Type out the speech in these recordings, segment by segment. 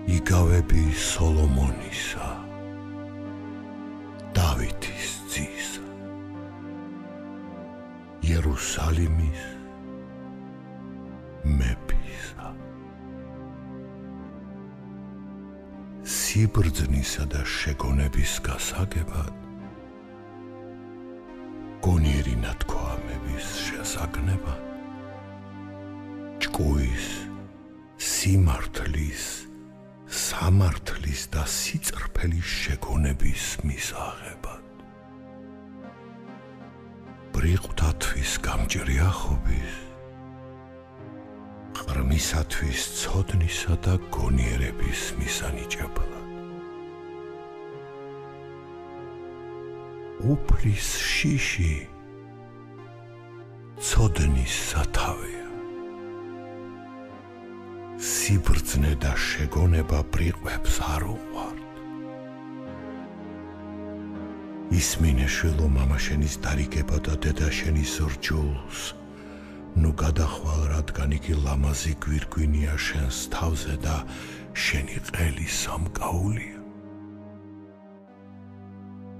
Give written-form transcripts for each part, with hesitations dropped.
იგავები სოლომონისა, დავითის ძისა, იერუსალიმის მეფისა. სიბრძნისა და შეგონების გასაგებად, გონიერი ნათქვამების შესაგნებად, ჭკუის, სიმართლის, სამართლის და სიწყრფელის შეგონების მისაღებად, ბრიყვთათვის გამჭრი ახობის, ყრმისათვის ცოდნისა და გონიერების მისანიჭებლად, უფლის შიში ცოდნის სათავეა, სიბრძნე და შეგონება ბრიყვებს არ უყვართ. ისმინე შვილო მამაშენის დარიგება და დედაშენის რჯულს, ნუ გადახვალ, რადგან იგი ლამაზი გვირგვინია შენს თავზე და შენი ყელი სამკაულია.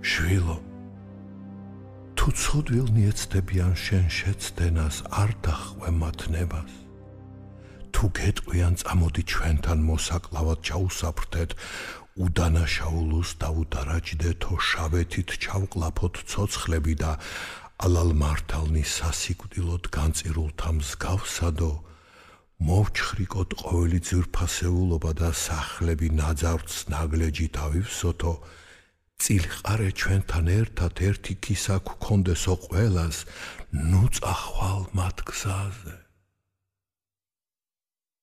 შვილო, თუ ცოდვილნი ეცდებიან შენ შეცდენას, არ დახვე მათ ნებას. თუ გეტყვიან, წამოდი ჩვენთან მოსაკლავად ჩაუსაფრთეთ, უდანაშაულოს დაუდარაჯდეთო, შავეთით ჩავკლაფოთ ცოცხლები და ალალმართალნი სასიკვდილოდ განწირულთა მსგავსადო, მოვჩხრიკოთ ყოველი ძვირფასეულობა და სახლები ნაძარცს ნაგლეჯით ავივსოთო, წილყარე ჩვენთან ერთად ერთი ქისა გქონდესო ყველას, ნუ წახვალ მათ გზაზე.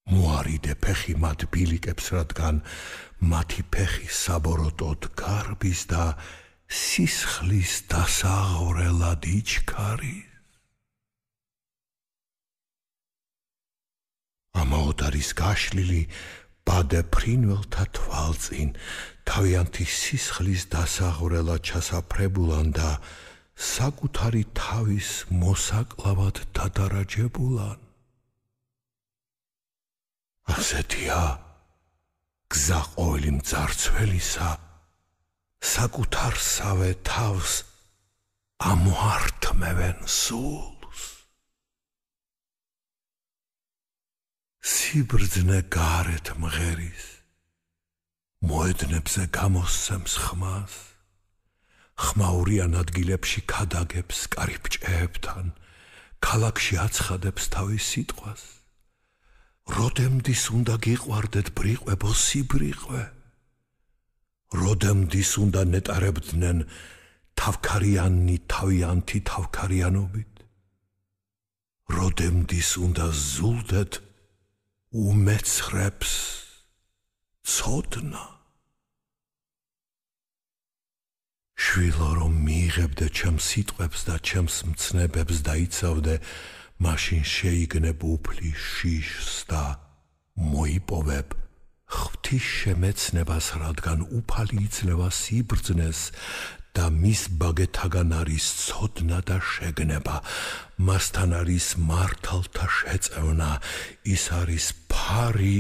მოარიდე ფეხი მათ ბილიკებს, რადგან მათი ფეხი საბოროტოდ გარბის და სისხლის დასაღვრელად იჩქარის. ამაოდ არის გაშლილი ბადე ფრინველთა თვალწინ, თავიანთი სისხლის დასაღვრელად ჩასაფრებულან და საკუთარი თავის მოსაკლავად დადარაჯებულან. ასეთია გზა ყოველი მძარცველისა, საკუთარსავე თავს ამოართმევენ სულს. სიბრძნე გარეთ მღერის, მოედნებზე გამოსცემს ხმას, ხმაურიან ადგილებში ქადაგებს კარიბჭეებთან, ქალაქში აცხადებს თავის სიტყვას. როდემდის უნდა გიყვარდეთ ბრიყვებო სიბრიყვე, როდემდის უნდა ნეტარებდნენ თავქარიანი თავიანთი თავქარიანობით, როდემდის უნდა ზულდეთ უმეცხრებს ცოდნა. შვილო, რომ მიიღებდე ჩემს სიტყვებს და ჩემს მცნებებს და იცავდე, მაშინ შეიგნებ უფლის შიშს და მოიპოვებ ღვთის შემეცნებას, რადგან უფალი იძლევა სიბრძნეს და მის ბაგეთაგან არის ცოდნა და შეგნება, მასთან არის მართალთა შეწევნა, ის არის ფარი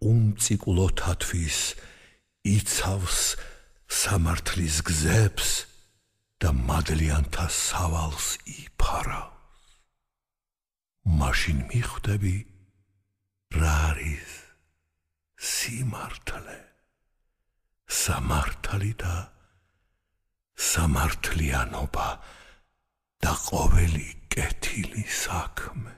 უმწიკლოთათვის, იცავს სამართლის გზებს და მადლიანთა სავალს იფარავს. მაშინ მიხვდები, რა არის სიმართლე, სამართალი და სამართლიანობა და ყოველი კეთილი საქმე.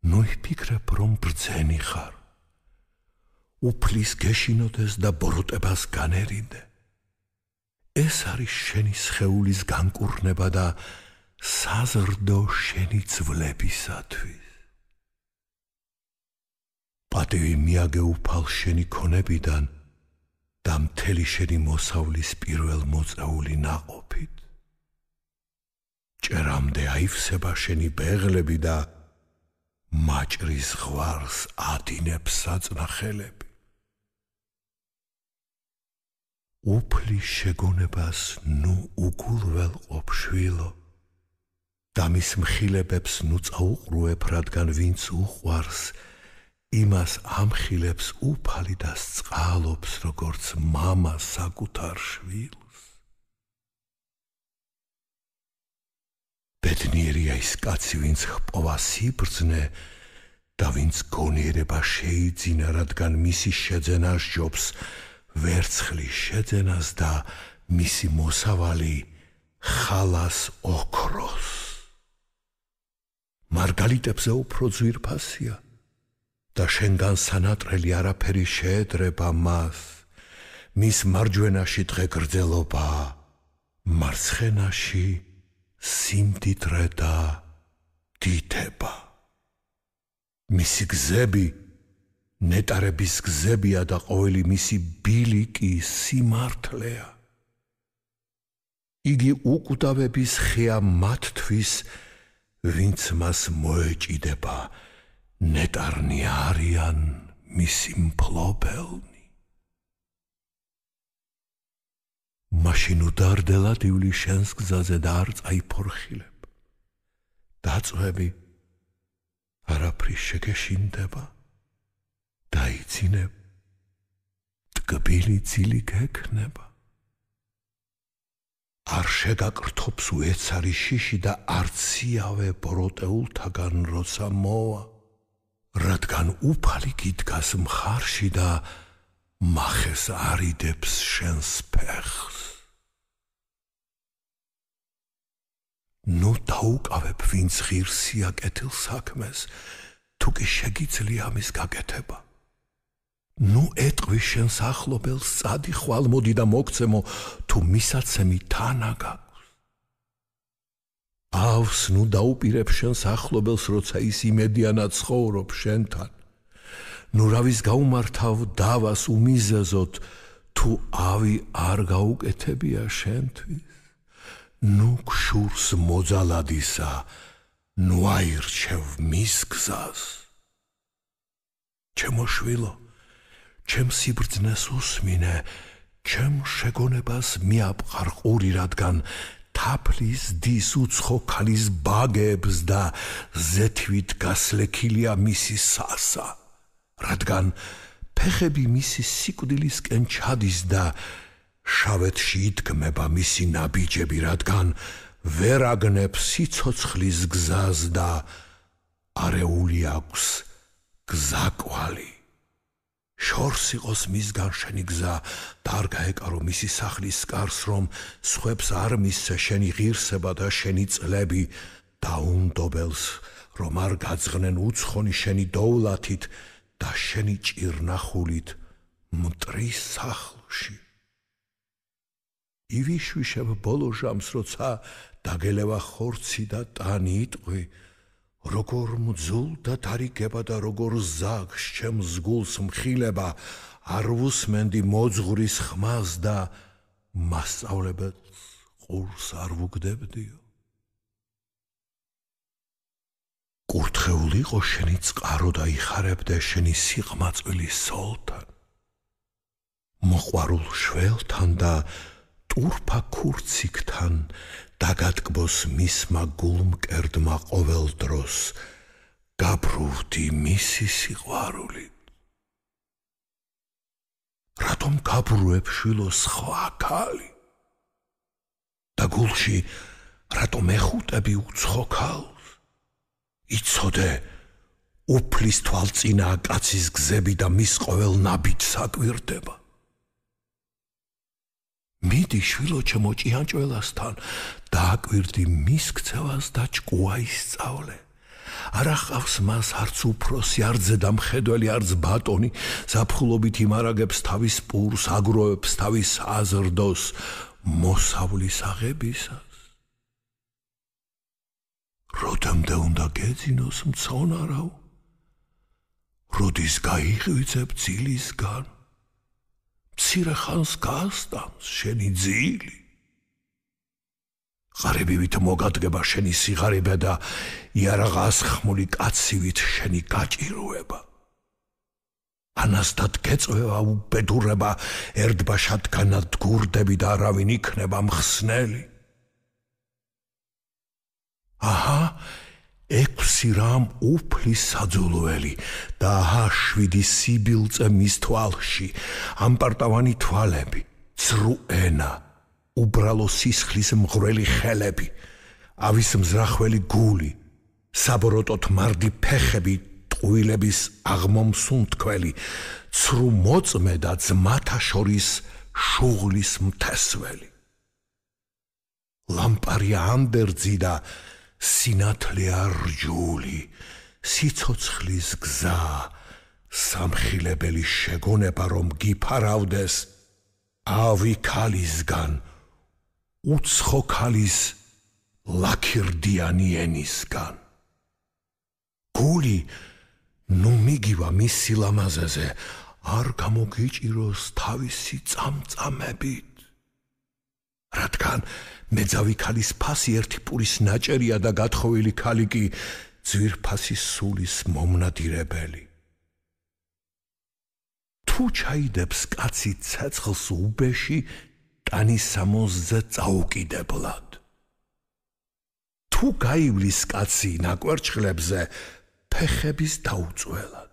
ნუ იფიქრებ, რომ ბრძენი ხარ, უფლის გეშინოდეს და ბოროტებას განერიდე. ეს არის შენი სხეულის განკურნება და საზრდო შენი ძვლებისათვის. პატივი მიაგე უფალ შენი ქონებიდან და მთელი შენი მოსავლის პირველ მოწეული ნაყოფით. ჭერამდე აივსება შენი ბეღლები და მაჭრის ღვარს ადინებს საწნახელები. უფლის შეგონებას ნუ უგულველყოფ შვილო და მის მხილებებს ნუ წაუყრუებ, რადგან ვინც უყვარს, იმას ამხილებს უფალი და სწყალობს, როგორც მამა საკუთარ შვილს. ბედნიერია ის კაცი, ვინც ჰპოვა სიბრძნე და ვინც გონიერება შეიძინა, რადგან მისი შეძენა სჯობს ვერცხლის შეძენას და მისი მოსავალი ხალას ოქროს. მარგალიტებზე უფრო ძვირფასია და შენგან სანატრელი არაფერი შეედრება მას. მის მარჯვენაში დღე გრძელობა, მარცხენაში სიმდიდრე და დიდება. მისი გზები ნეტარების გზებია და ყოველი მისი ბილიკი სიმართლეა. იგი უკვდავების ხეა მათთვის, ვინც მას მოეჭიდება, ნეტარნი არიან მისი მფლობელნი. მაშინ უდარდელად ივლი შენს გზაზე და არ წაიფორხილებ. დაწვევი არაფრის შეგეშინდება, დაიცინებ, ტკბილი ძილი გექნება. არ შეგაკრთობს უეცარი შიში და არც სიავე ბროტეულთაგან როცა მოვა, რადგან უფალი გიდგას მხარში და მახეს არიდებს შენს ფეხს. ნუ დაუკავებ, ვინც ღირსია კეთილ საქმეს, თუ კი შეგიძლია ამის გაკეთება. ნუ ეტყვი შენს ახლობელს, წადი ხვალმოდი და მოგცემო, თუ მისაცემი თანა გაქვს. ავს ნუ დაუპირებ შენს ახლობელს, როცა ის იმედიანად ცხოვრობს შენთან. ნუ რავის გაუმართავ დავას უმიზეზოთ, თუ ავი არ გაუკეთებია შენთვის. ნუ გშურს მოძალადისა, ნუ აირჩევ მის გზას. ჩემო შვილო, ჩემ სიბრძნეს უსმინე, ჩემ შეგონებას მიაპყარ ყური, რადგან თაფლის დის უცხო ქალის ბაგებს და ზეთვით გასლექილია მისი სასა, რადგან ფეხები მისი სიკვდილისკენ ჩადის და შავეთში იდგმება მისი ნაბიჯები, რადგან ვერ აგნებს სიცოცხლის გზას და არეული აქვს გზაკვალი. შორს იყოს მისგან შენი გზა და არ გაეკარო მისი სახლის კარს, რომ სხვებს არ მისცე შენი ღირსება და შენი წლები, და უნდობელს, რომ არ გაძღნენ უცხონი შენი დოვლათით და შენი ჭირნახულით მტრის სახლში. ივიშვიშებ ბოლო ჟამს, როცა დაგელევა ხორცი და ტანი იტყვი, როგორ მძულ და დარიგება და როგორ ზაგს ჩემს გულს მხილება, არ ვუსმენდი მოძღვრის ხმას და მასწავლებელს ყურს არ ვუგდებდიო. კურთხეული იყო შენი წყარო და იხარებდე შენი სიყმაწვილი სოლთან. მოყვარულ შველთან და ტურფა ქურციკთან დაგატკბოს მისმა გულმკერდმა ყოველ დროს, გაბრუვდი მისი სიყვარულით. რატომ გაბრუებ შვილო სხვა ქალი? და გულში რატომ ეხუტები უცხო ქალს? იცოდე, უფლის თვალწინაა კაცის გზები და მის ყოველ ნაბიჯს აკვირდება. მიდი შვილო ჩემო ჭიანჭველასთან და აკვირდი მის ქცევას და ჭკუა ისწავლე. არ ახავს მას არც უფროსი, არც ზედამხედველი, არც ბატონი, ზაფხულობით იმარაგებს თავის პურს, აგროვებს თავის აზრდოს მოსავლის აღებისას. როდემდე უნდა გეძინოს მცონარავ, როდის გაიღვიძებ ძილისგან, მცირე ხანს გასტამს შენი ძილი. ღარიბივით მოგადგება შენი სიღარიბე და იარაღას ხმული კაცივით შენი გაჭიროება. ანასთად გეწვევა უბედურება, ერთბაშად განადგურდები და არავინ იქნება მხსნელი. აჰა, 6 რამ უფლის საძულველი და 7 სიბილწე მის თვალში, ამპარტავანი თვალები, ცრუ ენა, უბრალო სისხლის მღვრელი ხელები, ავის მზრახველი გული, საბოროტოთ მარდი ფეხები, ტყუილების აღმომსუნთქველი, ცრუ მოწმე და ძმათა შორის შუღლის მთესველი. ლამპარია ანდერძი და სინათლეა რჯული, სიცოცხლის გზა, სამხილებელი შეგონება რომ გიფარავდეს, ავი ქალისგან, უცხო ქალის ლაქირდიანი ენისგან. გული ნუ მიგივა მის სილამაზეზე, არ გამოგიჭიროს თავისი წამწამებით. რადგან მეძავი ქალის ფასი ერთი პურის ნაჭერია და გათხოვილი ქალი კი ძვირფასი სულის მომნადირებელი. თუ ჩაიდებს კაცი ცეცხლს უბეში, ტანის სამოსზე წაუკიდებლად. თუ გაივლის კაცი ნაკვერჩხლებზე, ფეხების დაუწველად.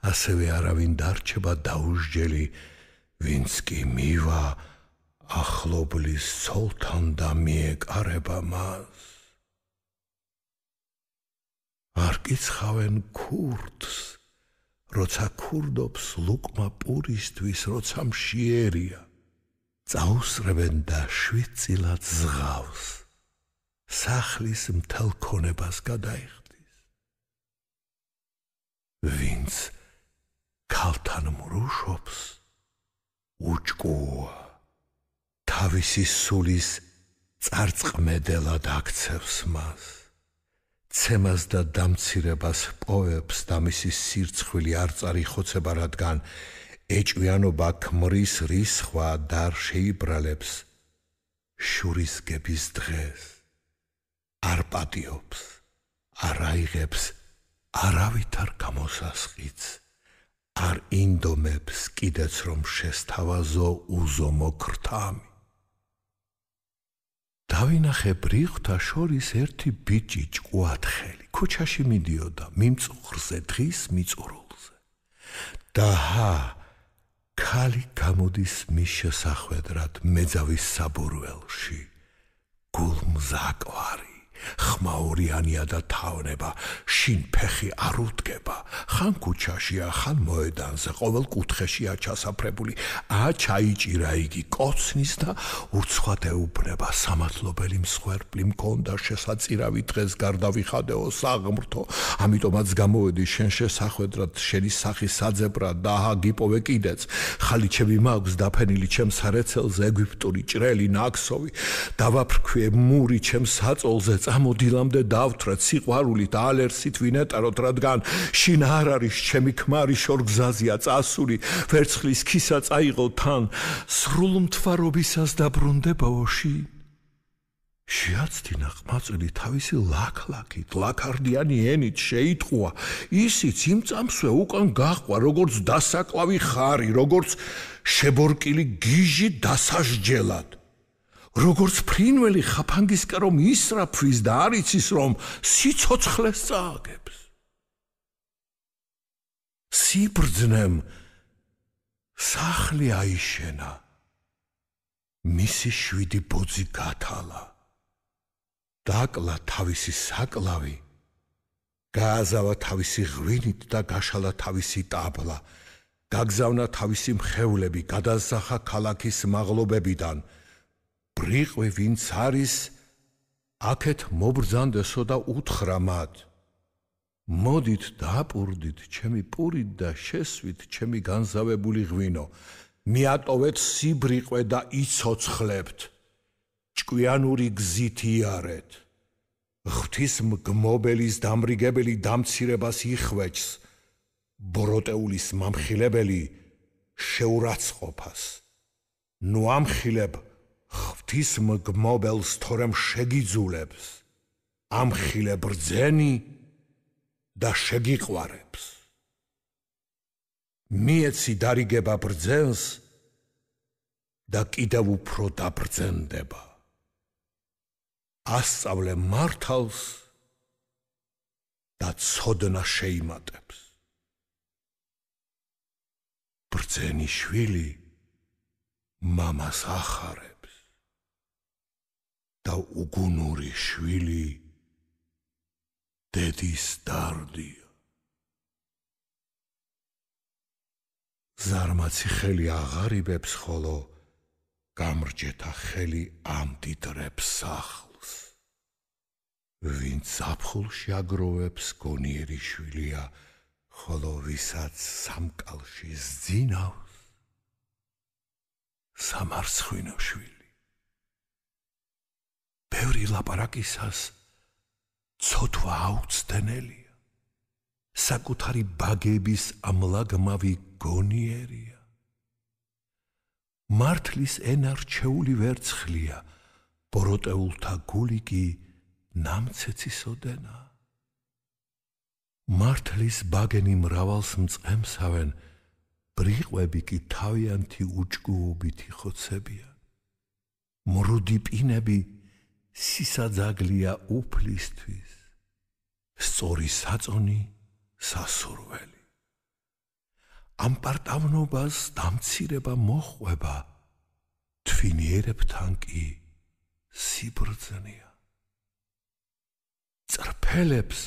ასევე არავინ დარჩება დაუსჯელი, ვინც კი მივა ახლობლის ცოლთან და მიეკარება მას. არ კიცხავენ ქურდს, როცა ქურდობს ლუკმა პურისთვის, როცა მშიერია, წაუსრებენ და შვიდწილად ზღავს, სახლის მთელ ქონებას გადაიხდის. ვინც ქალთან მრუშობს, უჭკუა, თავისი სულის წარწყმედელად აქცევს მას. ცემას და დამცირებას პოვებს და მისი სირცხვილი არ წარიხოცება, რადგან ეჭვიანობა ქმრის რისხვა და არ შეიბრალებს შურისგების დღეს. არ პატიობს, არ აიღებს არავითარ გამოსასყიდს, არ ინდომებს კიდეც რომ შესთავაზო უზომო ქრთამი. დავინახე ბრიყვთა შორის ერთი ბიჭი ჭკუათხელი, ქუჩაში მიდიოდა მიმწუხრზე დღის მიწურულზე. და ქალი გამოდის მის შესახვედრად მეძავის საბურველში, გულმზაკვარი, ხმაურიანია და თავნება, შინ ფეხი არ უდგება, ხან ქუჩაშია, ხან მოედანზე, ყოველ კუთხეშია ჩასაფრებული, ჩაიჭირა იგი, კოცნის და ურცხვად ეუბნება, სამართლობელი მსხვერპლი მქონდა, შესაწირავი დღეს გარდავიხადეო საღმრთო, ამიტომაც გამოვედი შენ შესახვედრად, შენი სახის საძებრად და გიპოვე კიდეც, ხალიჩები მაქვს დაფენილი ჩემს სარეცელზე, ეგვიპტური ჭრელი, ნაქსოვი, დავაფრქვიე მური ჩემს საწოლზე, წამოდილამდე დავთვრეთ სიყვარულით, ალერსით ვინეტაროთ, რადგან შინ არ არის ჩემი ქმარი შორგზაზია წასული, ვერცხლის ქისა წაიღო თან, სრულ მთვარობისას დაბრუნდებაო შინ. შეაცდინა ყმაწვილი თავისი ლაქლაქით, ლაქარდიანი ენით შეიტყუა, ისიც იმ წამსვე უკან გაჰყვა, როგორც დასაკლავი ხარი, როგორც შებორკილი გიჟი დასასჯელად. როგორც ფრინველი ხაფანგისკენ რომ ისრაფვის და არ იცის რომ სიცოცხლეს წააგებს. სიბრძნემ სახლი აიშენა, მისი 7 ბოძი გათალა, დაკლა თავისი საკლავი, გააზავა თავისი ღვინით და გაშალა თავისი ტაბლა, გაგზავნა თავისი მხევლები, გადასახა ქალაქის მაღლობებიდან, ბრიყვი ვინც არის, აქეთ მობრძანდესო და უთხრა მათ, მოდით დააპურდით ჩემი პურით და შესვით ჩემი განზავებული ღვინო, მიატოვეთ სიბრიყვე და იცოცხლებთ, ჭკვიანური გზით იარეთ, ღვთის მგმობელის დამრიგებელი დამცირებას იხვეჭს, ბოროტეულის მამხილებელი შეურაცხყოფას. ნუ ამხილებ ღვთის მგმობელს თორემ შეგიძულებს, ამხილებ რძენი და შეგიყვარებს. მიეცი დარიგება ბრძენს და კიდევ უფრო დაბრძენდება. ასწავლე მართალს და ცოდნა შეიმატებს. ბრძენი შვილი მამას ახარებს და უგუნური შვილი დედის დარდია. ზარმაცი ხელი აღარიბებს, ხოლო გამრჯეთა ხელი ამდიდრებს სახლს. ვინც ზაფხულში აგროვებს, გონიერი შვილია, ხოლო ვისაც სამკალში ზძინავს, სამარცხვინო შვილი. ბევრი ლაპარაკისას ცოტვა აუცდენელია, საკუთარი ბაგების ამლაგმავი გონიერია. მართლის ენა რჩეული ვერცხლია, ბოროტეულთა გული კი ნამცეცისოდენა. მართლის ბაგენი მრავალს მწყემსავენ, ბრიყვები კი თავიანთი უჭკუობითი ხოცებია. მრუდი პინები სისაძაგლია უფლისთვის, სწორი საწონი სასურველი. ამ პარტავნობას დამცირება მოჰყვება, თვინიერებთან კი სიბრძნეა. წრფელებს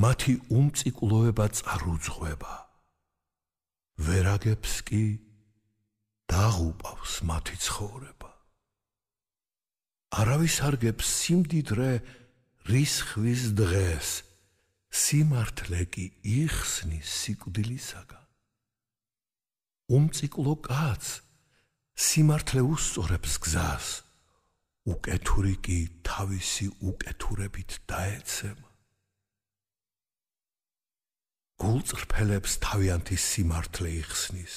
მათი უმწიკლოება წარუძღვება, ვერაგებს კი დაღუპავს მათი ცხოვრება. არავის არგებს სიმდიდრე რისხვის დღეს, სიმართლე კი იხსნის სიკვდილისაგან. უმწიკლო კაცს სიმართლე უსწორებს გზას, უკეთური კი თავისი უკეთურებით დაეცემა. გულწრფელებს თავიანთი სიმართლე იხსნის,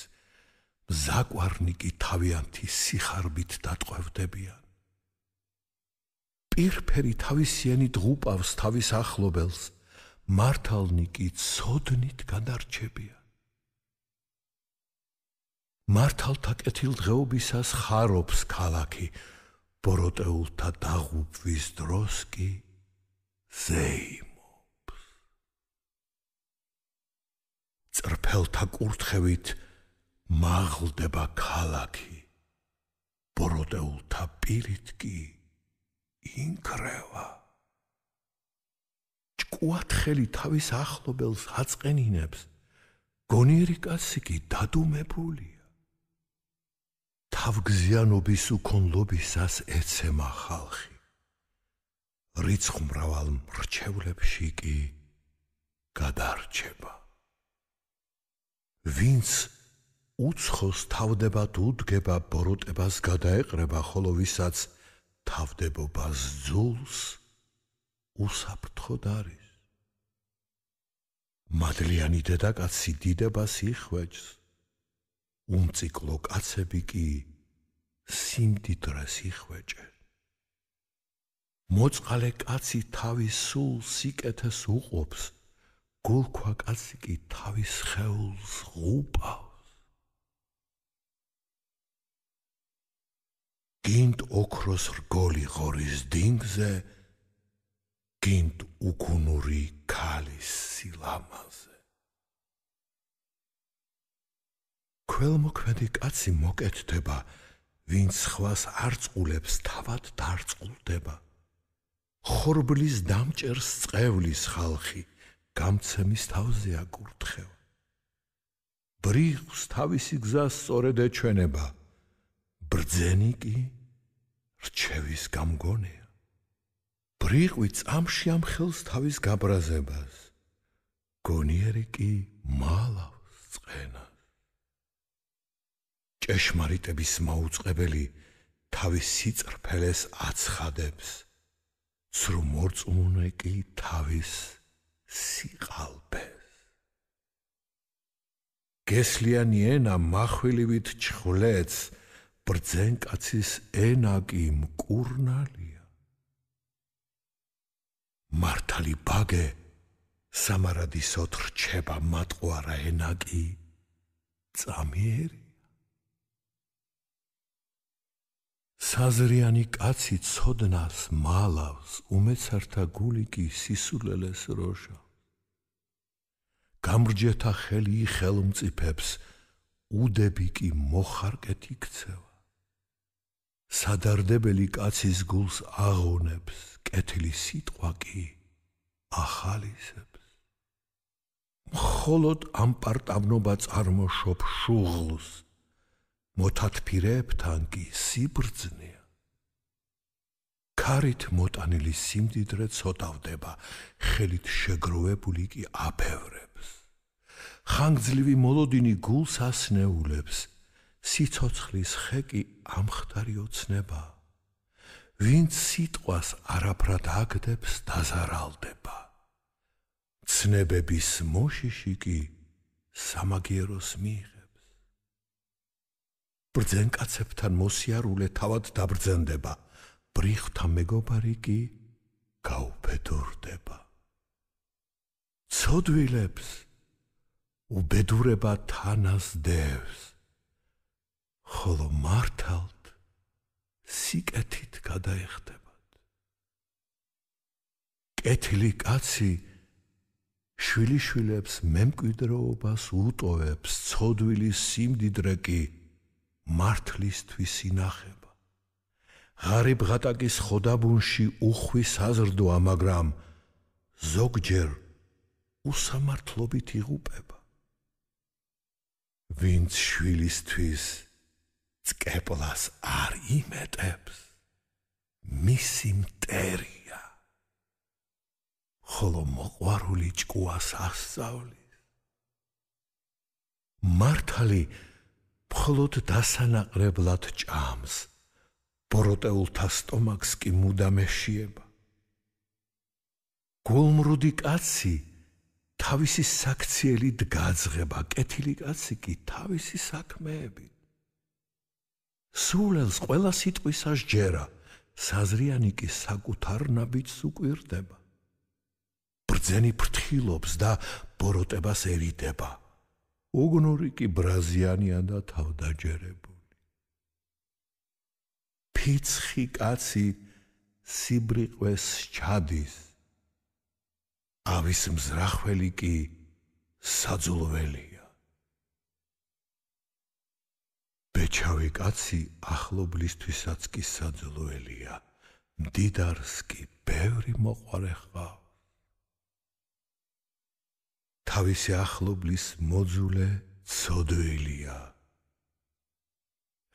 მზაკვარნი კი თავიანთი სიხარბით დატყვევდებიან. პირფერი თავისიანი დღუპავს თავის ახლობელს, მართალნი კი ცოდნით გადარჩებიან. მართალთა კეთილდღეობისას ხარობს ქალაქი, ბოროტეულთა დაღუპვის დროს კი ზეიმობს. წრფელთა კურთხევით მაღლდება ქალაქი, ბოროტეულთა პირით კი ინკრევა. ჭკუათხელი თავის ახლობელს აწყენინებს, გონიერი კაცი კი დადუმებულია. თავგზიანობის უქონლობისას ეცემა ხალხი, რიცხმრავალ მრჩევლებში კი გადარჩება. ვინც უცხოს თავდებად უდგება, ბოროტებას გადაეყრება, ხოლო ვისაც თავდებობას ძულს უსაფრთხოდ არის. მადლიანი დედაკაცი დიდებას იხვეჭს, უმწიკლო კაცები კი სიმდიდრეს იხვეჭენ. მოწყალე კაცი თავის სულ სიკეთეს უყოფს, გულქვა კაცი კი თავის სხეულს ღუპავს. გინდ ოქროს რგოლი ღორის დინგზე, გინდ უგუნური ქალის სილამაზე. ქველმოქმედი კაცი მოკეთდება, ვინც სხვას არ წყულებს, თავად დარწყულდება. ხორბლის დამჭერს წყევლის ხალხი, გამცემის თავზე აკურთხევა. ბრიყვს თავისი გზა სწორედ ეჩვენება, ბრძენი კი რჩევის გამგონეა. ბრიყვი წამში ამხელს თავის გაბრაზებას, გონიერი კი მალავს წყენას. ჭეშმარიტების მაუწყებელი თავის სიწრფელეს აცხადებს, ცრუ მორწმუნე კი თავის სიყალბეს. გესლიანი ენა מחვილივით ჩხვლეთს, ბრძენკაცის ენა კი მკურნალია. მართალი ბაგე სამარადისოდ რჩება, მატყუარა ენა კი წამიერია. საზრიანი კაცი ცოდნას მალავს, უმეცართა გული კი სისულელეს როჟა. გამრჯეთა ხელი ხელმწიფებს, უდები კი მოხარკეთ იქცევა. სადარდებელი კაცის გულს აღონებს, კეთილი სიტყვა კი ახალისებს. მხოლოდ ამპარტავნობა წარმოშობ შუღლს, მოთათფირეებთან კი სიბრძნეა. ქარით მოტანილი სიმდიდრე ცოტავდება, ხელით შეგროვებული კი აფევრებს. ხანგრძლივი მოლოდინი გულს ასნეულებს, სიცოცხლის ხე კი ამხდარი ოცნება. ვინც სიტყვას არაფრად აგდებს, დაზარალდება. ცნებების მოშიში კი სამაგიეროს მიიღებს. ბრძენკაცებთან მოსიარულე თავად დაბრძენდება, ბრიხვთა მეგობარი კი გაუფედურდება. ცოდვილებს უბედურება თანას დევს, ხოლო მართალთ სიკეთით გადაეხდებათ. კეთილი კაცი შვილიშვილებს მემკვიდრეობას უტოვებს, ცოდვილის სიმდიდრე კი მართლისთვის ინახება. ღარიბ ღატაკის ხოდაბუნში უხვი საზრდოა, მაგრამ ზოგჯერ უსამართლობით იღუპება. ვინც შვილისთვის წკეპლას არ იმეტებს, მისი მტერია, ხოლო მოყვარული ჭკუას ასწავლის. მართალი მხოლოდ დასანაყრებლად ჭამს, ბოროტეულთა სტომაქს კი მუდამ ეშიება. გულმრუდი კაცი თავისი საქციელით გაძღება, კეთილი კაცი კი თავისი საქმეებით. სულელს ყველა სიტყვისას ჯერა, საზრიანი კი საკუთარ ნაბიჯს უკვირდება. ბრძენი ფრთხილობს და ბოროტებას ერიდება, უგნური კი ბრაზიანია და თავდაჯერებული. ფიცხი კაცი სიბრიყვეს ჩადის, ავის მზრახველი კი საძულველია. ბეჩავი კაცი ახლობლისთვისაც კი საძულველია, მდიდარს კი ბევრი მოყვარე ჰყავს. თავისი ახლობლის მოძულე ცოდვილია,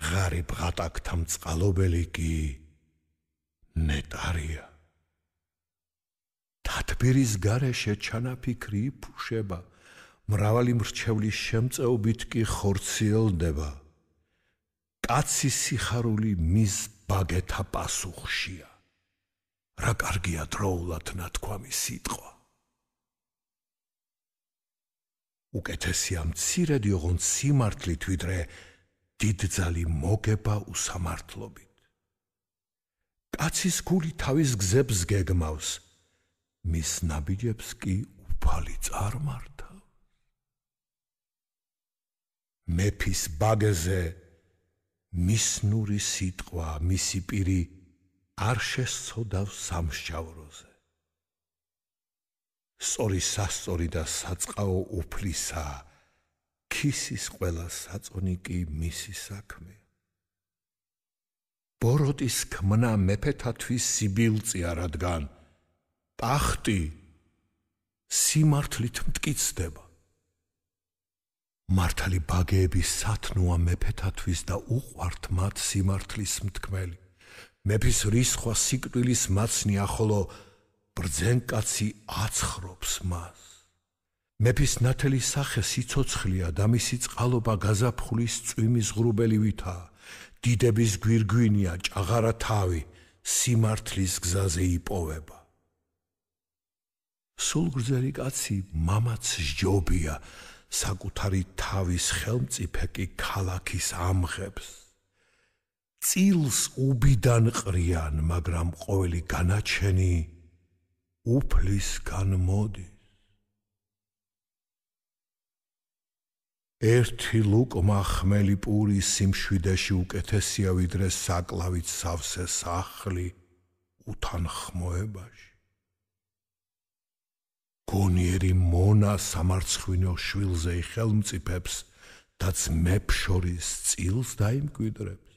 ღარიბ ღატაკთა მწყალობელი კი ნეტარია. თათბირის გარეშე ჩანაფიქრი იფუშება, მრავალი მრჩევლის შემწეობით კი ხორციელდება. კაცის სიხარული მის ბაგეთა პასუხშია, რა კარგია დროულად ნათქვამი სიტყვა. უკეთესია მცირედი ოღონდ სიმართლით, ვიდრე დიდძალი მოგება უსამართლობით. კაცის გული თავის გზებს გეგმავს, მის ნაბიჯებს კი უფალი წარმართავს. მეფის ბაგეზე მისნური სიტყვა, მისი პირი არ შესწოდავს სამსჯავროზე. სწორი სასწორი და საწყაო უფლისა, ქისის ყველა საწონი კი მისი საქმეა. ბოროტის ქმნა მეფეთათვის სიბილწია, რადგან ტახტი სიმართლით მტკიცდება. მართალი ბაგეები სათნოა მეფეთათვის და უყვართ მათ სიმართლის მთქმელი. მეფის რისხვა სიკვდილის მაცნია, ხოლო ბრძენკაცი აცხრობს მას. მეფის ნათელი სახე სიცოცხლეა და მისი წყალობა გაზაფხულის წვიმის ღრუბელივითაა. დიდების გვირგვინია, ჭაღარა თავი, სიმართლის გზაზე იპოვება. სულგრძელი კაცი მამაც სჯობია, საკუთარი თავის ხელმწიფე კი ქალაქის ამღებს. წილს უბიდან ყრიან, მაგრამ ყოველი განაჩენი უფლისგან მოდის. ერთი ლუკმა ხმელი პური სიმშვიდეში უკეთესია ვიდრე საკლავით სავსე სახლი უთანხმოებაში. გონიერი მონა სამარცხვინო შვილზე ხელმწიფებს და ძმებს შორის წილს დაიმკვიდრებს.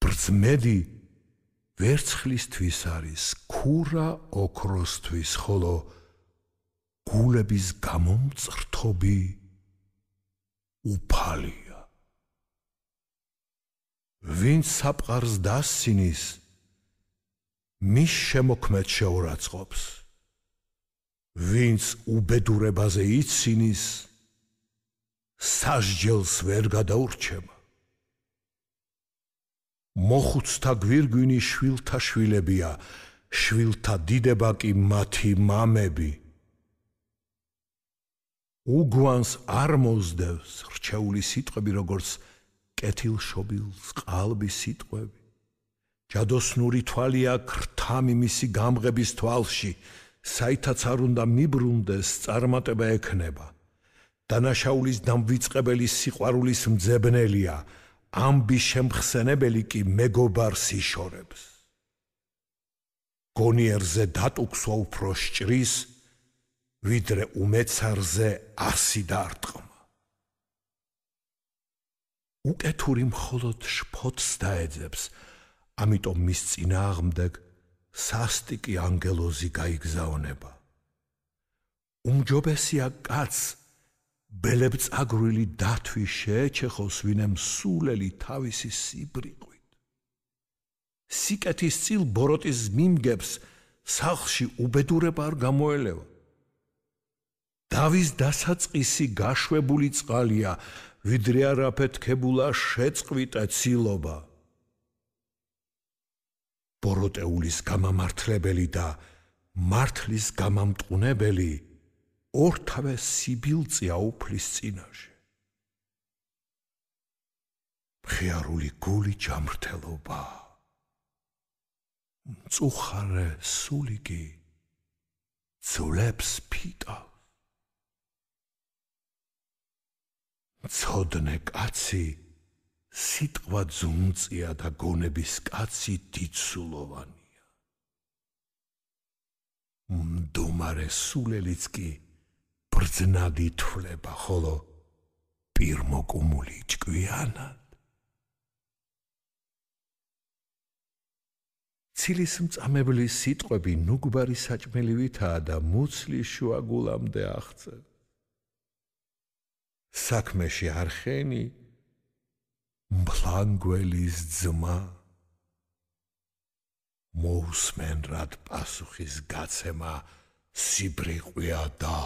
ბრძმედი ვერცხლისთვის არის, ქურა ოქროსთვის, ხოლო გულების გამომწრთობი უფალია. ვინც საფყარს დასცინის, მის შემოქმედს შეურაცხყოფს. ვინც უბედურებაზე იცინის, სასჯელს ვერ გადაურჩება. მოხუცთა გვირგვინი შვილთა შვილებია, შვილთა დიდება კი მათი მამები. უგვანს არ მოსდევს რჩეული სიტყვები, როგორც კეთილშობილს ყალბი სიტყვები. ჯადოსნური თვალია ქრთამი მისი გამღების თვალში, საითაც არ უნდა მიბრუნდეს წარმატება ექნება. დანაშაულის დამვიწყებელი სიყვარულის მძებნელია, ამბის შემხსენებელი კი მეგობარს იშორებს. გონიერზე დატუქსვა უფრო სჭრის, ვიდრე უმეცარზე 100 დარტყმა. უკეთური მხოლოდ შფოთს დაეძებს, ამიტომ მის წინააღმდეგ სასტიკი ანგელოზი გაიგზავნება. უმჯობესია კაცს ბელებწაგრული დათვი შეეჩეხოს, ვინემ სულელი თავისი სიბრიყვით. სიკეთის წილ ბოროტის მიმგებს სახლში უბედურება არ გამოელევა. დავის დასაწყისი გაშვებული წყალია, ვიდრე არაფეთქებულა შეწყვიტა ცილობა. ბოროტეულის გამამართლებელი და მართლის გამამტყუნებელი ორთავე სიბილწეა უფლის წინაშე. მხიარული გული ჯამრთელობა, მწუხარე სული კი ძვლებს ფიტავს. მცოდნე კაცი სიტყვა ძუნწია და გონების კაცი დიდსულოვანია. მდუმარე სულელიც კი ბრძნად ითვლება, ხოლო პირმოკუმული ჭკვიანად. ცილის მწამებლის სიტყვები ნუგბარი საჭმელივითაა და მუცლის შუაგულამდე აღწევს. საქმეში არხენი მფლანგველის ძმა. მოусმენ რად პასუხის გაცემა სიბრიყვია და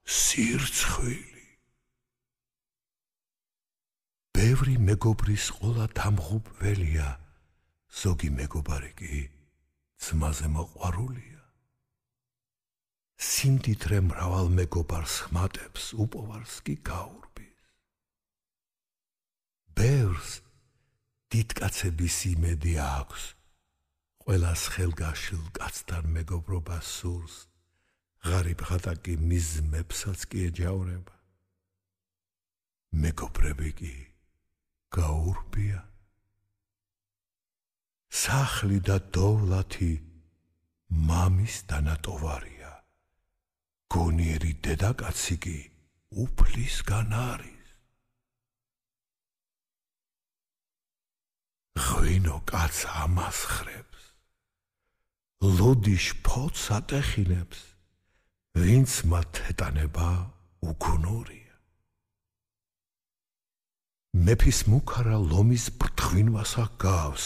სირცხვილი. ბევრი მეგობრის ყოლა დამღუპველია, ზოგი მეგობარი კი ძმაზე მოყვარულია. სიმდიდრე მრავალ მეგობარს ხმატებს, უპოვარს კი გაურბის. ბევრს დიდკაცების იმედი აქვს, ყველას ხელგაშლ კაცთან მეგობრობა სურს, ღარიბ ხატა კი მის ძმებსაც კი ეჯავრება. მეგობრები კი გაურბია. სახლი და დოვლათი მამის დანატოვარია, გონიერი დედაკაცი კი უფლისგან არის. ღვინო კაც ამასხრებს, ლოდი შფოთს ატეხინებს, ვინც მათ ეტანება უგუნურია. მეფის მუქარა ლომის ბრთღვინვას აგავს,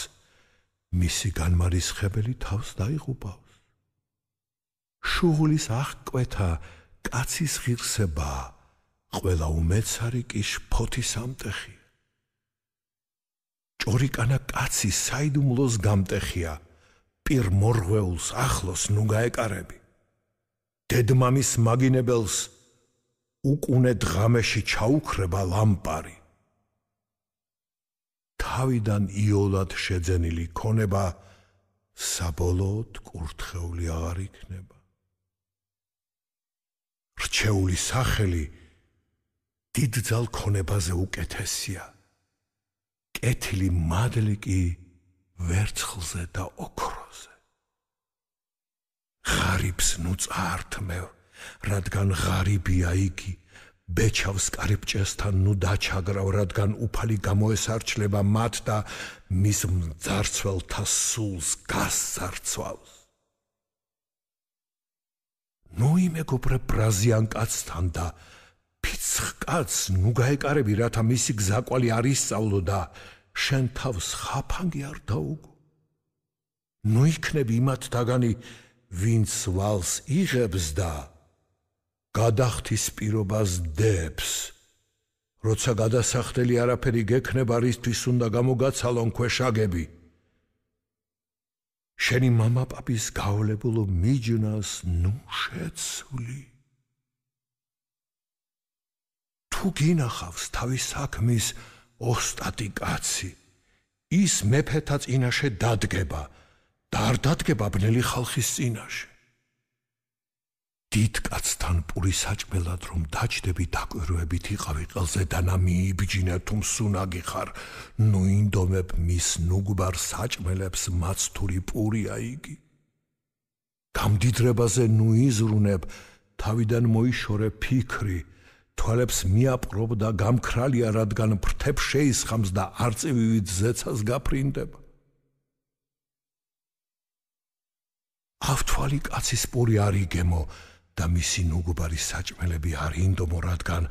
მისი განმარისხებელი თავს დაიღუპავს. შუღლის აღკვეთა კაცის ღირსებაა, ყველა უმეცარი კი შფოთის ამტეხია. ჭორიკანა კაცი საიდუმლოს გამტეხია, პირ მორღვეულს ახლოს ნუ გაეკარები. დედმამის მაგინებელს უკუნე დღამეში ჩაუქრება ლამპარი. თავიდან იოლად შეძენილი ქონება საბოლოოდ კურთხეული აღარ იქნება. რჩეული სახელი დიდძალ ქონებაზე უკეთესია. კეთილი მადლი კი ვერცხლზე და ოქროზე. ღარიბს ნუ წაართმევ, რადგან ღარიბია იგი, ბეჩავს კარიბჭესთან ნუ დაჩაგრავ, რადგან უფალი გამოესარჩლება მათ და მის მძარცველთა სულს გასძარცვავს. ნუ იმეგობრებ ბრაზიან კაცთან და ფიცხ კაცს ნუ გაეკარები, რათა მისი გზაკვალი არ ისწავლო და შენ თავს ხაფანგი არ დაუგო. ნუ იქნები იმათთაგანი, ვინც ვალს იღებს და გადახდის პირობას დებს. როცა გადასახდელი არაფერი გექნება, რისთვის უნდა გამოგაცალონ ქვეშაგები. შენი მამაპაპის გაოლებულო მიჯნას ნუ შეცვლი. თუ გინახავს თავის საქმის ოსტატი კაცი, ის მეფეთა წინაშე დადგება და არ დადგება ბნელი ხალხის წინაშე. დიდ კაცთან პური საჭმელად რომ დაჯდები, დაკვირვებით იყავი ყელზე და ნამიიბჯინე თუ მსუნაგი ხარ, ნუ ინდომებ მის ნუგბარ საჭმელებს მაცთური პურია იგი. გამდიდრებაზე ნუ იზრუნებ, თავიდან მოიშორე ფიქრი, თვალებს მიაპყრობ და გამქრალია, რადგან ფრთებს შეისხამს და არწივივით ზეცას გაფრინდება. ავთვალი კაცის პური არ იგემო და მისი ნუგბარი საჭმელები არ ინდომო, რადგან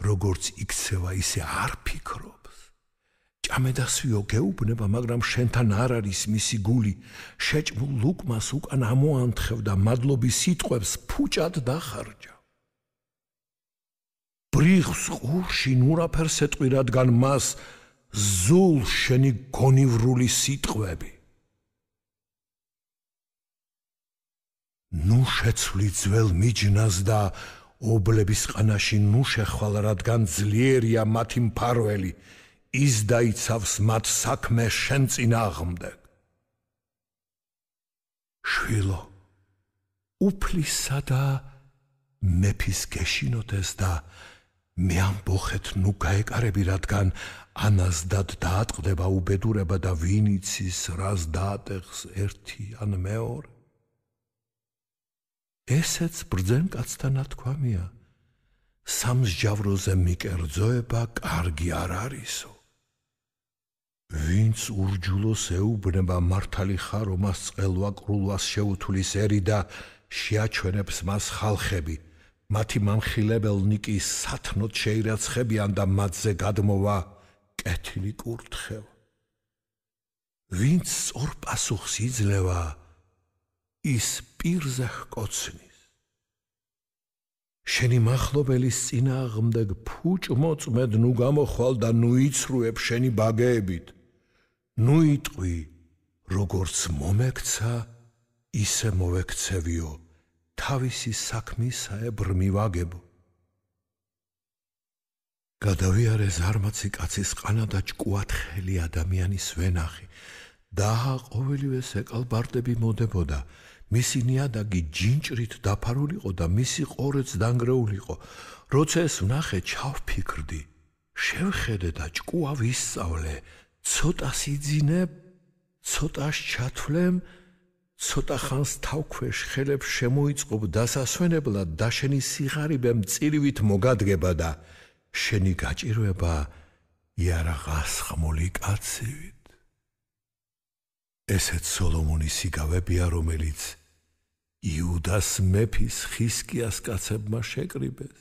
როგორც იქცევა ისე არ ფიქრობს. ჭამედასვიო გეუბნება, მაგრამ შენთან არ არის მისი გული. შეჭმულ ლუკმას უკან ამოანთხევ და მადლობის სიტყვებს ფუჭად დახარჯა. ბრიხს ყურში ნურაფერს ეტყვი, რადგან მას ზულ შენი გონივრული სიტყვები. ნუ შეცვლი ძველ მიჯნას და ობლების ყანაში ნუ შეხვალ, რადგან ძლიერია მათი მფარველი, ის დაიცავს მათ საქმე შენ წინააღმდეგ. შვილო, უფლისა და მეფის გეშინოდეს და მე ამბოხეთ ნუ გაეკარები, რადგან ანაზდად დაატყდება უბედურება და ვინ იცის რას დაატეხს ერთი ან მეორე. ესეც ბრძენ კაცთა ნათქვამია, სამსჯავროზე მიკერძოება კარგი არ არისო. ვინც ურჯულოს ეუბნება, მართალი ხარ ომას წყელვა ყრულვას შეუთulis ერი და შეაჩვენებს მას ხალხები, მათი მამხილებელნი კი სათნოდ შეირაცხებიან და მათზე გადმოვა კეთილი კურთხევა. ვინც სწორ პასუხს იძლევა, ის პირზე ჰკოცნის. შენი მახლობელის წინააღმდეგ ფუჭ-მოწმედ ნუ გამოხვალ და ნუ იცრუებ შენი ბაგეებით. ნუ იტყვი, როგორც მომექცა, ისე მოვექცევიო, თავისი საქმისაებრ მივაგებო. გადავიარე ზარმაცი კაცის ყანა და ჭკუათხელი ადამიანის ვენახი და ყოველივეს ეკალბარდები მოდებოდა. მისი ნიადაგი ჯინჭრით დაფარულიყო და მისი ყორეც დანგრეულიყო. როცა ეს ვნახე, ჩავფიქრდი, შევხედე და ჭკუა ვისწავლე, ცოტას იძინებ, ცოტას ჩათვლემ, ცოტა ხანს თავქვეშ ხელებს შემოიწყობ დასასვენებლად და შენი სიღარიბე მწირივით მოგადგება და შენი გაჭირვება იარაღას ხმული კაცივით. ესეც სოლომონის იგავებია, რომელიც იუდას მეფის ხისკიას კაცებმა შეკრიბეს.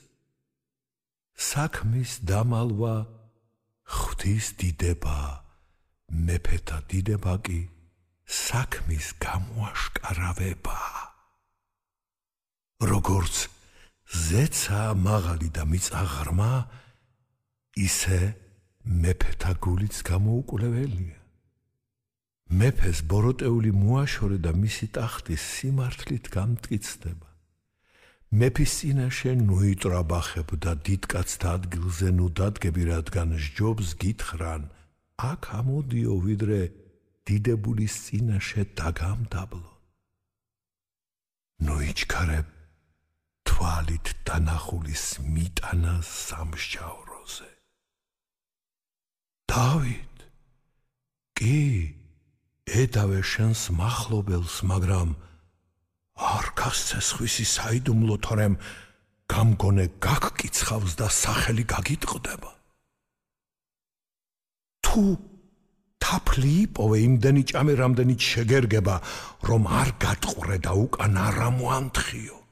საქმის დამალვა ღვთის დიდება, მეფეთა დიდება კი საქმის გამოაშკარავება. როგორც ზეცა მაღალი და მიწა ღრმა, ისე მეფეთა გულიც გამოუკვლეველია. მეფეს ბოროტეული მოაშორე და მისი ტახტი სიმართლით გამტკიცდება. მეფის წინაშე ნუ იტრაბახებ და დიდკაცთა ადგილზე ნუ დადგები, რადგან სჯობს გითხრან, აქ ამოდიო, ვიდრე დიდებულის წინაშე დაგამდაბლო. ნუ იჩქარებ თვალით დანახულის მიტანას სამსჯავროს. თავზე. დავით, კი, ედავე შენს მახლობელს, მაგრამ არ გასცესხვისი საიდუმლო, თორემ გამგონე გაგკიცხავს და სახელი გაგიტყდება. თუ თაფლი იპოვე იმდენი ჭამე, რამდენიც შეგერგება, რომ არ გატყვრე და უკან არ ამოანთხიო.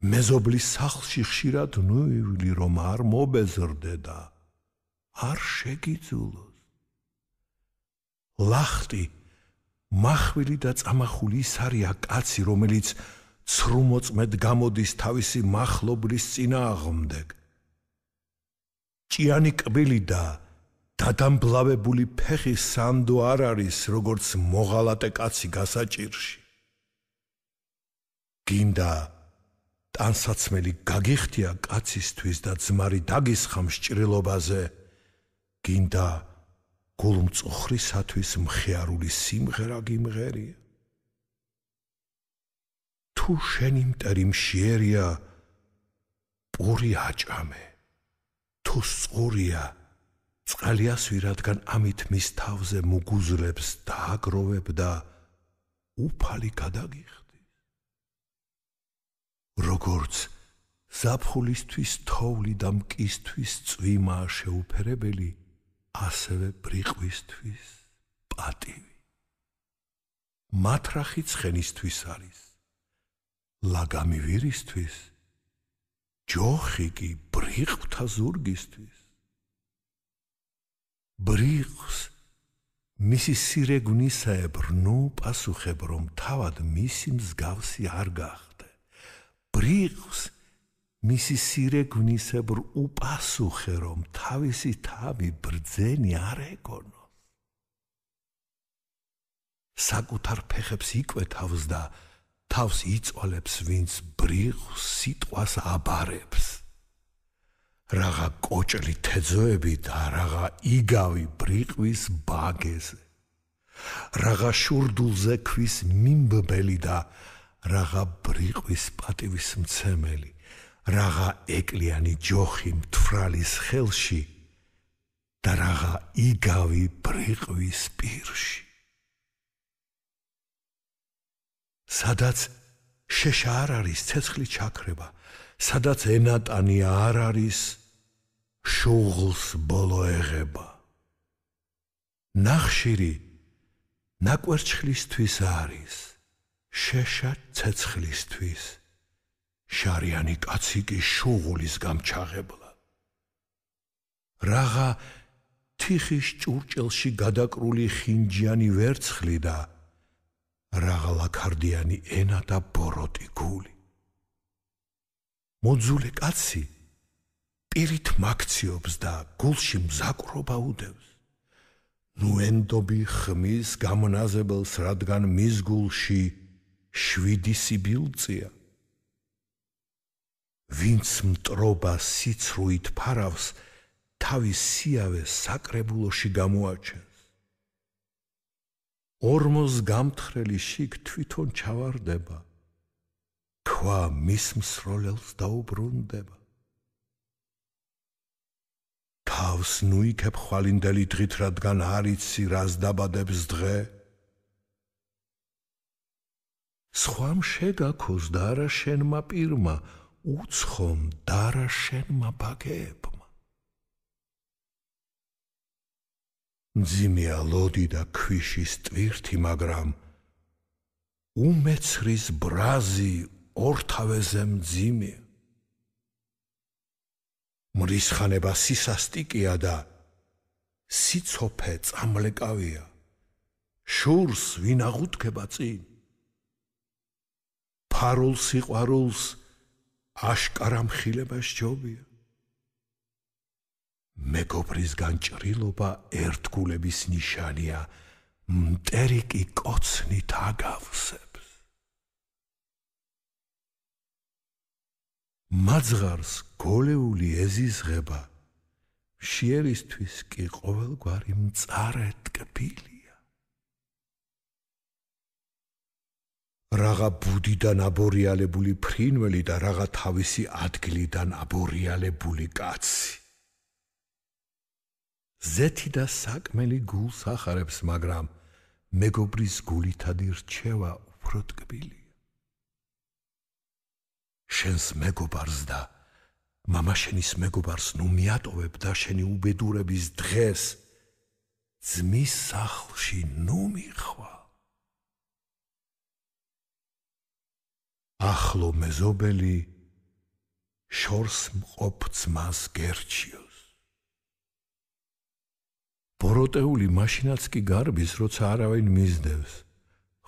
მეზობლის სახლში ხშირად ნუივლი, რომ არ მობეზრდე და არ შეგიძულოს. ლახტი, მახვილი და წამახული ის არია კაცი, რომელიც ცრუმოწმედ გამოდის თავისი მახლობლის წინააღმდეგ. ჭიანი კბილი და დადამბლავებული ფეხი სანდო არ არის, როგორც მოღალატე კაცი გასაჭირში. გინდა ტანსაცმელი გაგიხდია კაცისთვის და ძმარი დაგისხა მსჭრილობაზე, გინდა გულმწუხრისათვის მხიარული სიმღერა გიმღერია. თუ შენი მტერი მშიერია, პური აჭამე, თუ სწორია, წყალიასვი, რადგან ამით მის თავზე მუგუზლებს დააგროვებ და უფალი გადაგიხდის. როგორც ზაფხულისთვის თოვლი და მკისთვის წვიმაა შეუფერებელი, ასევე ბრიყვისთვის პატივი. მათრახი ცხენისთვის არის, ლაგამი ვირისთვის, ჯოხი კი ბრიყვთა ზურგისთვის. ბრიყვს მისი სირეგვნისაებრ ნუ პასუხებ, რომ თავად მისი მსგავსი არ გახდე. ბრიყვს მისი სირეგვნისებრ უპასუხე, რომ თავისი თავი ბრძენი არ ეკონოს. საკუთარ ფეხებს იკვეთავს და თავს იწვალებს, ვინც ბრიყვს სიტყვას აბარებს. რაღა კოჭლი თეძოები და რაღა იგავი ბრიყვის ბაგეზე. რაღა შურდულზე ქვის მიმბბელი და რაღა ბრიყვის პატივის მცემელი. რაღა ეკლიანი ჯოხი მთვრალის ხელში და რაღა იგავი ბრიყვის პირში. სადაც შეშა არ არის, ცეცხლი ჩაქრება, სადაც ენატანი არ არის, შუღლს ბოლო ეღება. ნახშირი ნაკვერჩხლისთვის არის, შეშა ცეცხლისთვის, შარიანი კაცი კი შუღლის გამჩაღებლა. რაღა თიხის ჭურჭელში გადაკრული ხინჯიანი ვერცხლი და რაღა ლაქარდიანი ენა და ბოროტი გული. მოძულე კაცი პირით მაქციობს და გულში მზაკვრობა უდევს. ნუ ენდობი ხმის გამნაზებელს, რადგან მის გულში 7 სიბილწეა. ვინც მტრობა სიცრუით ფარავს, თავის სიავეს საკრებულოში გამოაჩენს. ორმოს გამთხრელი შიგ თვითონ ჩავარდება, ქვა მის მსროლელს დაუბრუნდება. თავს ნუ იქებ ხვალინდელი დღით, რადგან არ იცი, რას დაბადებს დღე. სხვამ შეგაქოს და არა შენმა პირმა, უცხომ და არა შენმა ბაგეებმა. მძიმეა ლოდი და ქვიშის ტვირთი, მაგრამ უმეცრის ბრაზი ორთავეზე მძიმეა. მრისხანება სისასტიკია და სიცოფე წამლეკავია. შურს ვინ აღუდგება წინ? ფარულ სიყვარულს აშკარა მხილება სჯობია. მეგობრის განჭრილობა ერთგულების ნიშანია, მტერი კი კოცნით აგავსებს. მაძღარს გოლეული ეზიზღება, მშიერისთვის კი ყოველგვარი მწარე ტკბილია. Რაღა ბუდიდან აბორიალებული ფრინველი და რაღა თავისი ადგილიდან აბორიალებული კაცი. ზეთი და საკმელი გულს ახარებს, მაგრამ მეგობრის გულითადი რჩევა უფრო ტკბილია. შენს მეგობარს და მამაშენის მეგობარს ნუ მიატოვებ და შენი უბედურების დღეს ძმის სახლში ნუ მიხვალ. ახლო მეზობელი შორს მყოფ ძმას გერჩიოს. ბოროტეული მაშინაც კი გარბის, როცა არავინ მისდევს,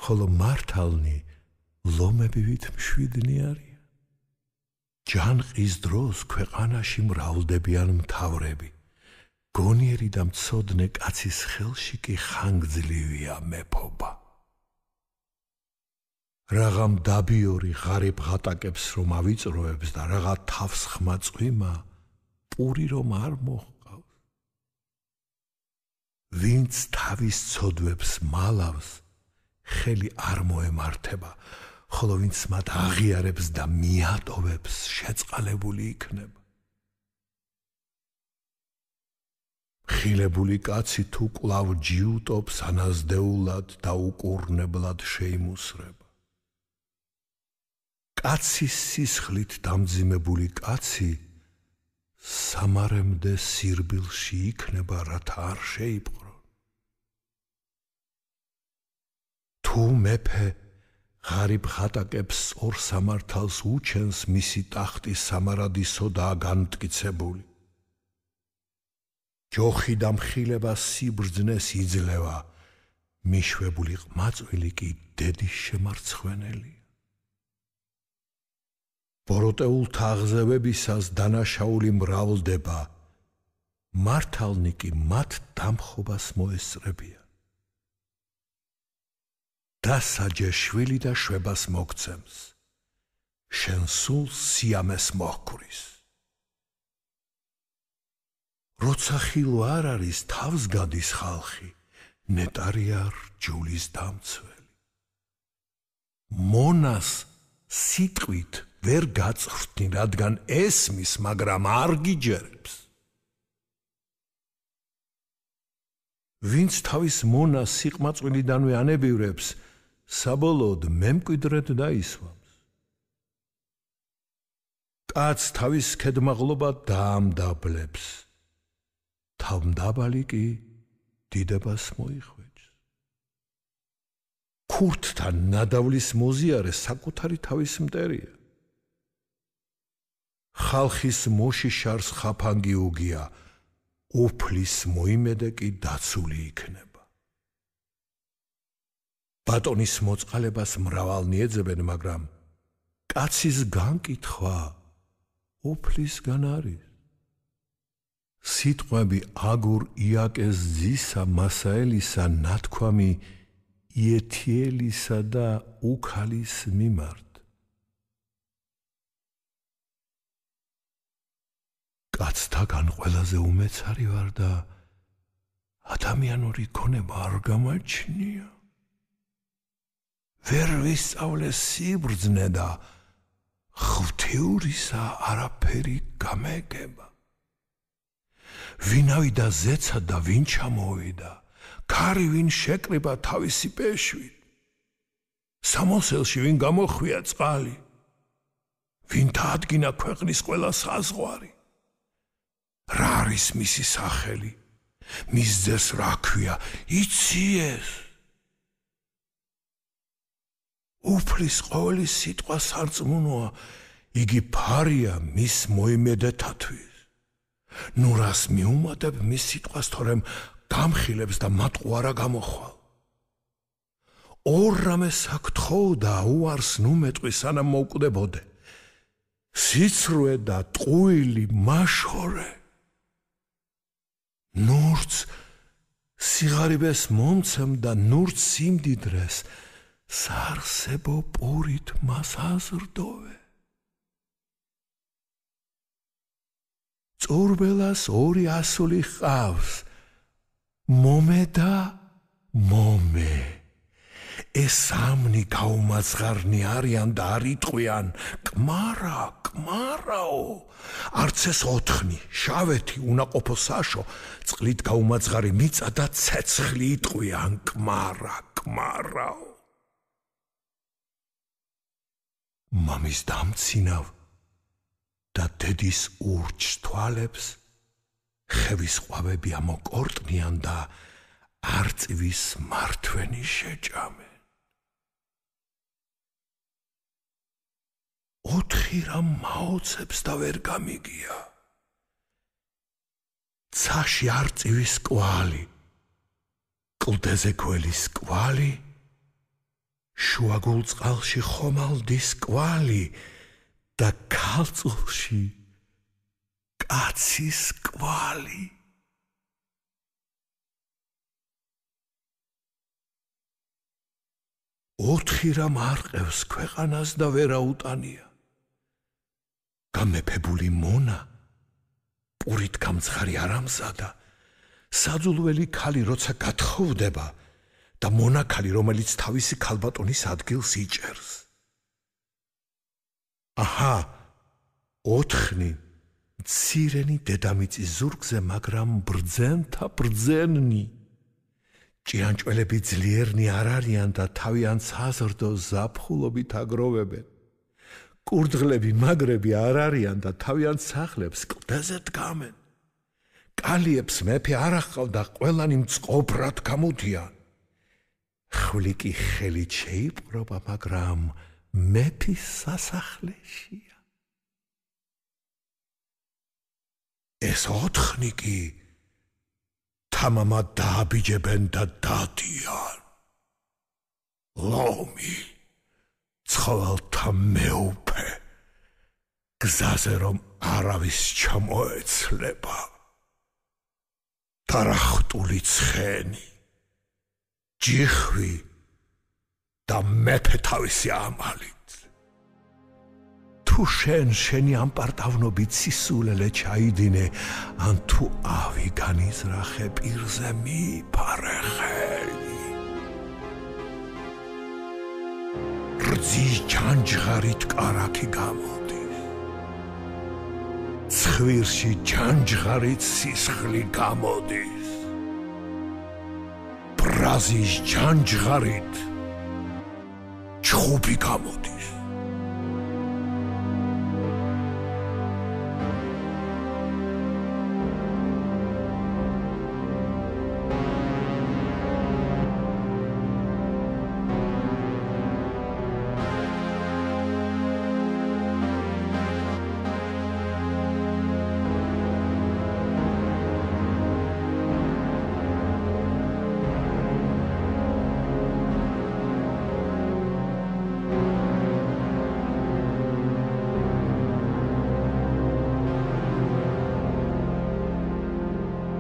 ხოლო მართალნი ლომებივით მშვიდნი არიან. ჯანყის დროს ქვეყანაში მრავლდებიან მთავრები, გონიერი და მცოდნე კაცის ხელში კი ხანგრძლივია მეფობა. რაღა მდაბიორი ღარიბ ღატაკებს რომ ავიწროებს და რაღა თავს ხმა წვიმა პური რომ არ მოჰყავს. ვინც თავის ცოდვებს მალავს, ხელი არ მოემართება, ხოლო ვინც მათ აღიარებს და მიატოვებს, შეწყალებული იქნება. ხილებული კაცი თუ კვლავ ჯიუტობს, ანაზდეულად და უკურნებლად შეიმუსრება. კაცის სისხლით დამძიმებული კაცი სამარემდე სირბილში იქნება, რათა არ შეიპყრონ. თუ მეფე ღარიბ ხატაკებს ორ სამართალს უჩენს, მისი ტახტი სამარადისოდაა განმტკიცებული. ჯოხი და მხილება სიბრძნეს იძლევა, მიშვებული ყმაწვილი კი დედის შემარცხვენელია. ბოროტეულ თაღზევებისას დანაშაული მრავლდება, მართალნი კი მათ დამხობას მოესწრებიან. დასაჯე შვილი და შვებას მოგცემს, შენ სულ სიამეს მოჰკვრის. როცა ხილვა არ არის, თავს გადის ხალხი, ნეტარია რჯულის დამცველი. მონას სიტყვით ვერ გაწვრთნი, რადგან ესმის, მაგრამ არ გიჯერებს. ვინც თავის მონას სიყმაწვილიდანვე ანებივრებს, საბოლოოდ მემკვიდრედ დაისვამს. კაცს თავის ქედმაღლობა დაამდაბლებს, თავმდაბალი კი დიდებას მოიხვეჭს. ქურთთან ნადავლის მოზიარე საკუთარი თავის მტერია. ხალხის მოშიშარს ხაფანგი უგია, უფლის მოიმედე კი დაცული იქნება. ბატონის მოწყალებას მრავალნი ეძებენ, მაგრამ კაცის განკითხვა უფლისგან არის. სიტყვები აგურ იაკეს ძისა მასაელისა ნათქვამი იეთიელისა და უქალის მიმართ. კაცთაგან ყველაზე უმეცარი ვარ და ადამიანური ქონება არ გამაჩნია. ვერ ვისწავლე სიბრძნე და ღვთიურისა არაფერი გამეგება. ვინავიდა ზეცა და ვინ ჩამოვიდა, ქარი ვინ შეკრიბა თავისი პეშვით, სამოსელში ვინ გამოხვია წყალი, ვინ დაადგინა ქვეყნის ყველა საზღვარი. რა არის მისი სახელი, მის ძეს რა ქვია, იცი-ეს? უფლის ყოველი სიტყვა სარწმუნოა, იგი ფარია მის მოიმედეთათვის. ნუ რას მიუმატებ მის სიტყვას, თორემ გამხილებს და მატყუ არა გამოხვალ. ორ რამეს აქ-თხოვ და უარს ნუ მეტყვი, სანამ მოვკვდებოდე. სიცრუე და ტყუილი მაშორე. ნურც სიღარიბეს მომცემ და ნურც სიმდიდრეს, საარსებო პურით მას აზრდოვე. წურბელას ორი ასული ჰყავს, მომე და მომე. ეს სამნი გაუმაძღარნი არიან და არ იტყვიან კმარაო არც ეს 4 შავეთი უნაყოფო საშო წყლით გაუმაძღარი მიწა და ცეცხლი იტყვიან კმარაო მამის დამცინავ და დედის ურჩ თვალებს ხევის ყვავები ამოკორტნიან და არწივის მართვენი შეჭამენ 4 რამ მაოცებს და ვერ გამიგია ცაში არწივის კვალი კლდეზე გველის კვალი შუაგულ წყალში ხომალდის კვალი და ქალწულში კაცის კვალი ოთხი რამ არყევს ქვეყანას და ვერაუტანია გამეფებული მონა პურით გამცხარი არ ამზადა საძულველი ქალი როცა გათხოვდება და მონა ქალი რომელიც თავისი ქალბატონის ადგილს იჭერს აჰა 4 მცირენი დედამიწის ზურგზე მაგრამ ბრძენთა ბრძენნი ჭიანჭველები ძლიერნი არ არიან და თავიანთ საზრდო ზაფხულობით აგროვებენ კურდღლები მაგრები არ არიან და თავიანთ სახლებს კლდეზე დგამენ კალიებს მეფე არ ახავდა ყველანი მწყობრად გამოდიან ხვლიკი ხელით შეიპყრობა მაგრამ მეფის სასახლეშია ეს 4 კი თამამად დააბიჯებენ და დადიან ლომი ცხოველთა მეუფე გზაზე რომ არავის ჩამოეცლება დარახტული ცხენი ჯიხვი და მეფე თავისი ამალით თუ შენი ამპარტავნობით სისულელე ჩაიდინე ან თუ ავი განიზრახე პირზე მიფარე ხელი რძის ჯანჯღარით კარაქი გამოდის ცხვირში ჯანჯღარით სისხლი გამოდის ბრაზის ჯანჯღარით ჩხუბი გამოდის